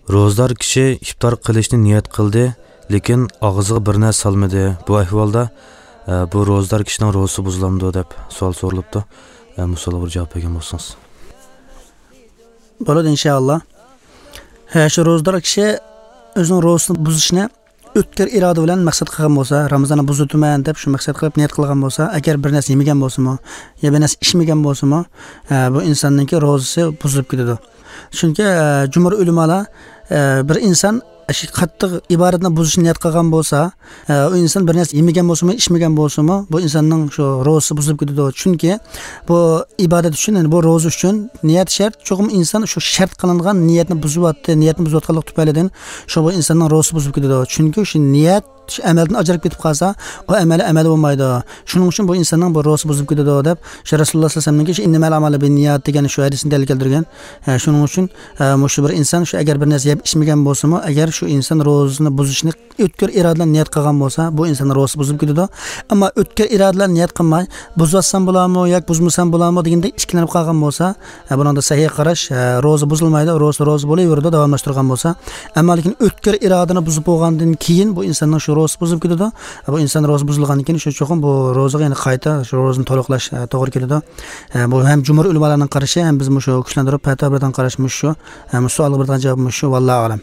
Ro'zdor kishi iftor qilishni niyat qildi, lekin og'ziga bir narsa solmadi. Bu ahvolda bu ro'zdor kishining ro'zasi buzilamdi deb savol so'ralibdi. Musulga bir javob bergan bo'lsangiz. Bo'ladi inshaalloh. Shu ro'zdor kishi o'zining ro'zasini buzishni o'tkir iroda bilan maqsad qilgan bo'lsa, Ramazonni buzitaman deb shu maqsad qilib niyat qilgan bo'lsa, agar bir narsa yemagan bo'lsa-mu, yo bir narsa ichmagan bo'lsa-mu, bu insonningki ro'zasi buzilib ketadi. Chunki jumhur ulamolar bir inson qattiq ibodatni buzishni niyat qilgan bo'lsa, u inson bir narsa yemagan bo'lsa-mu, ichmagan bo'lsa-mu, bu insonning shu ro'zasi buzilib ketadi. Chunki bu ibodat uchun, ya'ni bu ro'za uchun niyat shart. Cho'qim inson shu shart qilingan niyatni buzyapti, niyatni buzayotganlik tufaylidan shu bu insonning ro'zasi buzilib ketadi. Chunki shu niyat shu amaldan ajralib ketib qolsa, u amali amal bo'lmaydi. Shuning uchun bu insonning bu ro'zasi buzilib ketadi deb shu Rasululloh sollallohu alayhi vasallamning shu innamal amalu binniyat degan shu hadisini dalil keltirgan. Shuning uchun shu bir inson shu agar bir narsa yeb ichmagan bo'lsa-mu, agar shu inson ro'zasini buzishni o'tkir iroda bilan niyat qilgan bo'lsa, bu insonning ro'zasi buzilib ketadi. Ammo o'tkir iroda bilan niyat qilmay, buzatsam bo'ladimi yoki buzmasam bo'ladimi deganda ikkilanib qolgan bo'lsa, bunda sahih qarash, ro'za buzilmaydi, ro'za ro'za bo'laveradi, davomlashtirgan bo'lsa. Ammo lekin o'tkir irodani buzib bo'lgandan keyin bu insonning shu ro'zasi buzilib ketadi. Bu inson ro'za buzilgandan keyin shu cho'qim bu ro'zaga yana qayta shu ro'zani to'liqlash to'g'ri keladi. Bu ham jumhur ulamolarning qarashi, ham biz shu kuchlantirib fatvo bilan qarash shu. Savolga bergan javob shu, vallohu a'lam.